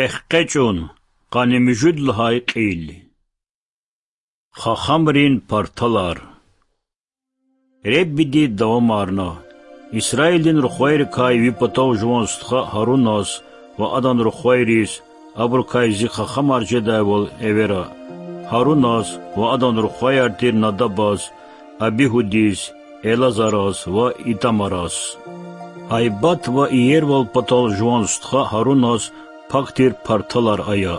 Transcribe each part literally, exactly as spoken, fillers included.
Эхкъечӏун, къанни муьжуьд лагьай кьил. Хахамрин парталар. Реббиди давамарна: Исраилдин рухвайрикай ви патав жуван стха Гьаруназ ва адан рухвайриз, абурукай зи хахамар жедайвал эвера, Гьаруназ ва адан рухваяр тир Надабаз, Абигьудиз, Элазараз ва Итамараз. Гьайбат ва иервал патал жуван стха Гьаруназ пак тир парталар ая.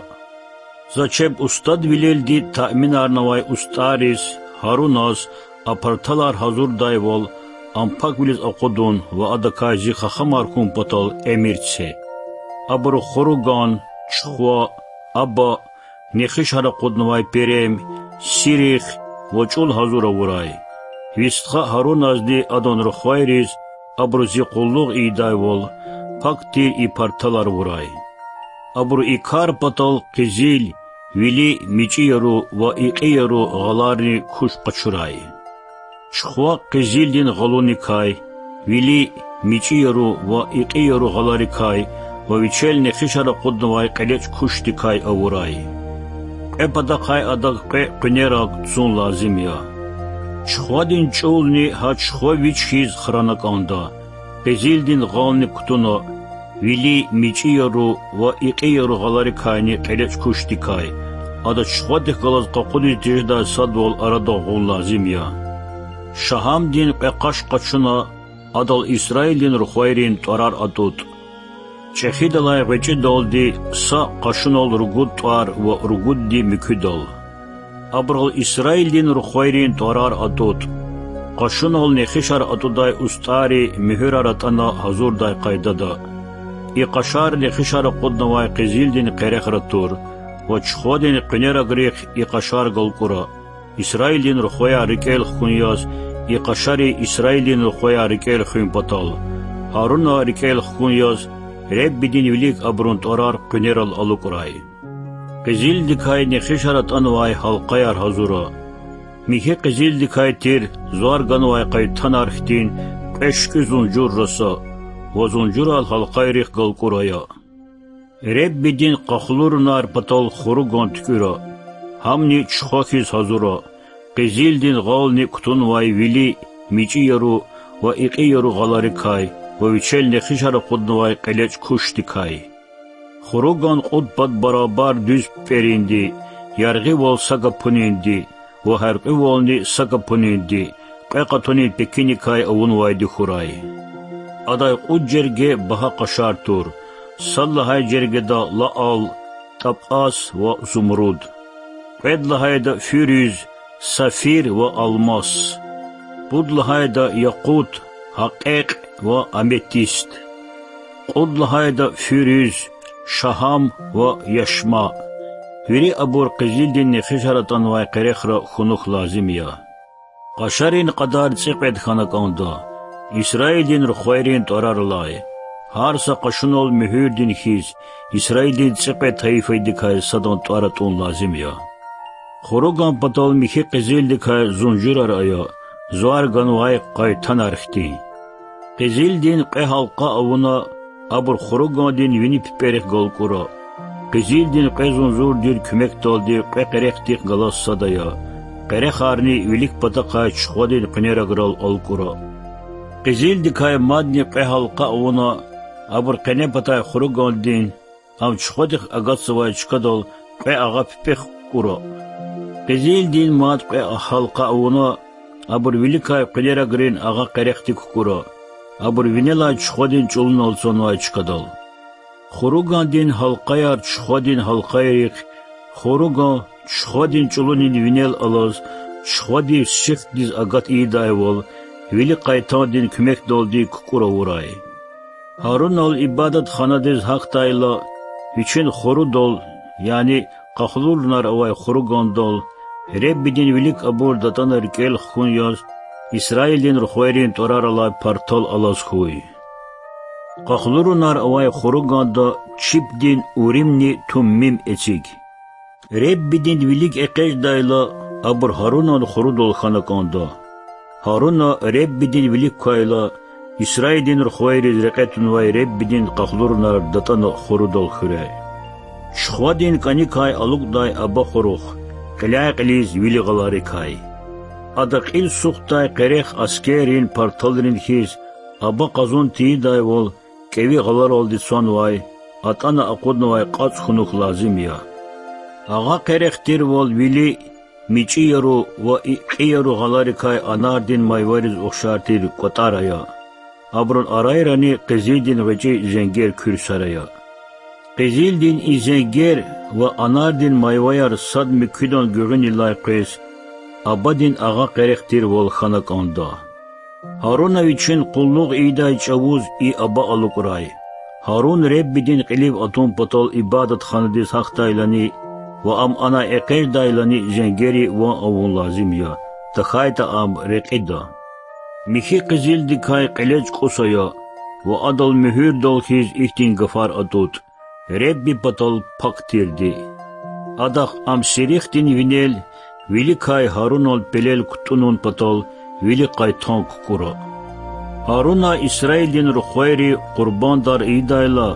За чеб устадвилелди таъминарнавай устӀарриз, Гьаруназ, а парталар гьазурдайвал, ам паквилиз акъудун ва адакай зи хахамар хьун патал эмир це. Абуру хуруган, чухва, аба, нехишар акъуднавай перем, сирих ва чӀул гьазур авурай. Ви стха Гьаруназни адан рухвайриз абуру зи къуллугъ ийидайвал, пак тир и парталар авурай. Абуру и кар патал къизил, вили, мичӀи яру ва икьи яру гъаларни куш къачурай. Чухва къизилдин гъалуникай, вили, мичӀи яру ва икьи яру гъаларикай ва вичел нехишар акъуднавай кьелечӀ кушдикай авурай. Кьве патахъай адак кьве къуьнераг цун лазим я. Чухвадин чӀулни гьа чухва вич хьиз храна кӀанда. Къизилдин гъални кутуна, вили, мичӀи яру ва икьи яру гъаларикайни кьелечӀ кушдикай, ада чухвадихъ галаз къакъудиз тежедай садвал арадал гъун лазим я. Шагьамдин кьве къаш къачуна, адал Исраилдин рухвайрин тӀварар атӀутӀ. ЧӀехидалай гъвечӀидалди са къашунал ругуд тӀвар ва ругудди муькуьдал. Абурал Исраилдин рухвайрин тӀварар атӀутӀ. Къашунал нехишар атӀудай устӀарри муьгьуьрар атӀана гьазурдай къайдада. И къашар нехишар акъуднавай къизилдин къерехра тур ва чухвадин къуьнерагрихъ и къашар галкӀура, Исраилдин рухваяр рикӀел хкун яз, и къашари Исраилдин рухваяр рикӀел хуьн патал, Гьаруна рикӀел хкун яз, Реббидин вилик абурун тӀварар къуьнерал алукӀрай. Къизилдикай нехишар атӀанвай гьалкъаяр гьазура. Михьи къизилдикай тир звар ганвай къайтанар хьтин кьве шуькӀуь зунжур раса ва зунжурар гьалкъайрихъ галкӀур ая. Реббидин къахлурунар патал хуруган туькӀуьра, гьамни чухва хьиз гьазура, къизилдин гъални кутунвай вили, мичӀи яру ва икьи яру гъаларикай ва вичел нехишар акъуднавай кьелечӀ кушдикай. Хуруган кьуд пад барабар дуьз пипӀеринди, яргъивал са гапунинди ва гьяркьуьвални са гапунинди, кьве къатунин пекиникай авунвайди хьурай. Адай кьуд жерге багьа къашар тур: сад лагьай жергеда лаал, тӀапӀас ва зумруд, кьвед лагьайда фуьруьз, сафир ва алмас, пуд лагьайда якъут, гьакьекь ва аметист, кьуд лагьайда фуьруьз, шагьам ва яшма. Вири абур къизилдин нехишар атӀанвай къерехра хьунухь лазим я. Къашарин кьадар цӀикьвед хьана кӀанда, Исраилдин рухвайрин тӀварар алай, гьар са къашунал муьгьуьрдин хьиз, Исраилдин цӀикьвед тайифадикай садан тӀвар атӀун лазим я. Хуруган патал михьи къизилдикай зунжурар ая, звар ганвай къайтанар хьтин. Къизилдин кьве гьалкъа авуна, абур хуругандин вини пипӀерихъ галкӀура. Къизилдин кьве зунжурдин куьмекдалди кьве къерехдихъ галаз сад ая, къерехарни вилик патахъай чухвадин къуьнераграл алкӀура. Къизилдикай мадни кьве гьалкъа авуна, абур къене патай хуругандин, ам чухвадихъ агатзавай чкадал кьве агъа пипӀехъ кукӀура. Къизилдин мад кьве гьалкъа авуна, абур виликай къуьнерагрин агъа къерехдик кукӀура, абур винелай чухвадин чӀулунал цанвай чкадал. Хуругандин гьалкъаяр чухвадин гьалкъайрихъ, хуруган чухвадин чӀулунин винел алаз, чухвадив сихдиз агат ийидайвал, вили къайтандин куьмекдалди кукӀур авурай. Гьарунал ибадатханадиз гьахьдайла, вичин хурудал, яни къахлурунар авай хуругандал, Реббидин вилик абур датӀана рикӀел хкун яз, Исраилдин рухвайрин тӀварар алай партал алаз хьуй. Къахлурунар авай хуруганда чипдин Уримни Туммим эциг. Реббидин вилик экъечӀдайла, абур Гьарунан хурудал хьана кӀанда. Гьаруна Реббидин вилик квайла, Исраилдин рухвайриз рекье тунвай Реббидин къахлурунар датӀана хурудал хуьряй. Чухвадин кӀаникай алукӀдай аба хурухъ, кьиляй-кьилиз вили гъаларикай. Ада кьил сухдай къерех аскеррин парталрин хьиз аба къазун тийидайвал кӀеви гъаларалди цанвай, атӀана акъуднавай кьацӀ хьунухь лазим я. Агъа къерех тирвал вили мичӀияру ва икьияру гъаларикай анардин майвариз ухшар тир кӀватӀар ая. Абурун арайрани къизилдин гъвечӀи зенгер куьрсар ая. Къизилдин и зенгер ва анардин майваяр сад муькуьдан гуьгъуьнилай къвез, абадин агъа къерех тирвал хьана кӀанда. Гьаруна вичин къуллугъ ийидай чӀавуз и аба алукӀрай. Гьарун Реббидин кьилив атун патал ибадатханадиз гьахьдайлани ва ам анай экъечӀдайлани зенгери ван авун лазим я, тахьайтӀа ам рекьида. Михьи къизилдикай кьелечӀ кӀус ая ва адал муьгьуьрдал хьиз ихьтин гафар атӀутӀ: Ребби патал пак тирди. Адахъ ам сирихдин винел виликай Гьарунан пелел кутӀунун патал вилик къайтан кукӀура. Гьаруна Исраилдин рухвайри къурбандар ийидайла,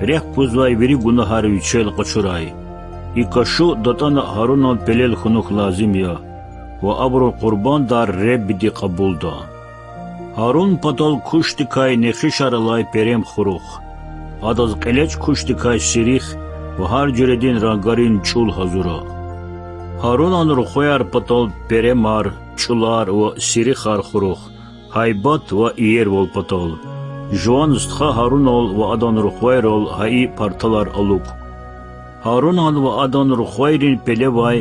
рехъ гузвай вири гунагьар вичел къачурай. И кашу датӀана Гьарунан пелел хьунухь лазим я ва абурун къурбандар Реббиди кьабулда. Гьарун патал кушдикай нехишар алай перем хурухъ. Адаз кьелечӀ кушдикай сирих ва гьар жуьредин рангарин чӀул гьазура. Гьарунан рухваяр патал перемар, чӀулар ва сирихар хурухъ, гьайбат ва иервал патал. Жуван стха Гьарунал ва адан рухвайрал гьа и парталар алукӀ. Гьарунан ва адан рухвайрин пелевай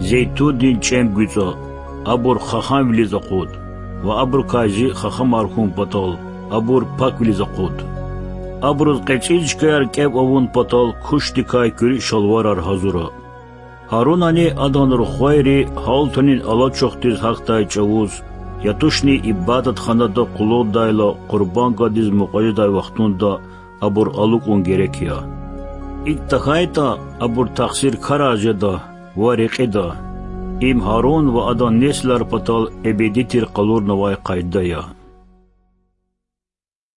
зейтундин чӀем гуьцӀа, абур хахамвилиз акъуд, ва абурукай зи хахамар хьун патал, абур паквилиз акъуд. Абуруз кьецӀил чкаяр кӀев авун патал кушдикай куьруь шалварар гьазура. Гьарунани адан рухвайри гьалтунин алачухдиз гьахьдай чӀавуз, я тушни ибадатханада къуллугъдайла къурбан гвайдиз мукьва жедай вахтунда абур алукӀун герек я. ИкӀ тахьайтӀа, абур тахсиркарар жеда ва рекьида. Им Гьарун ва адан несилар патал эбеди тир къалурнавай къайда я.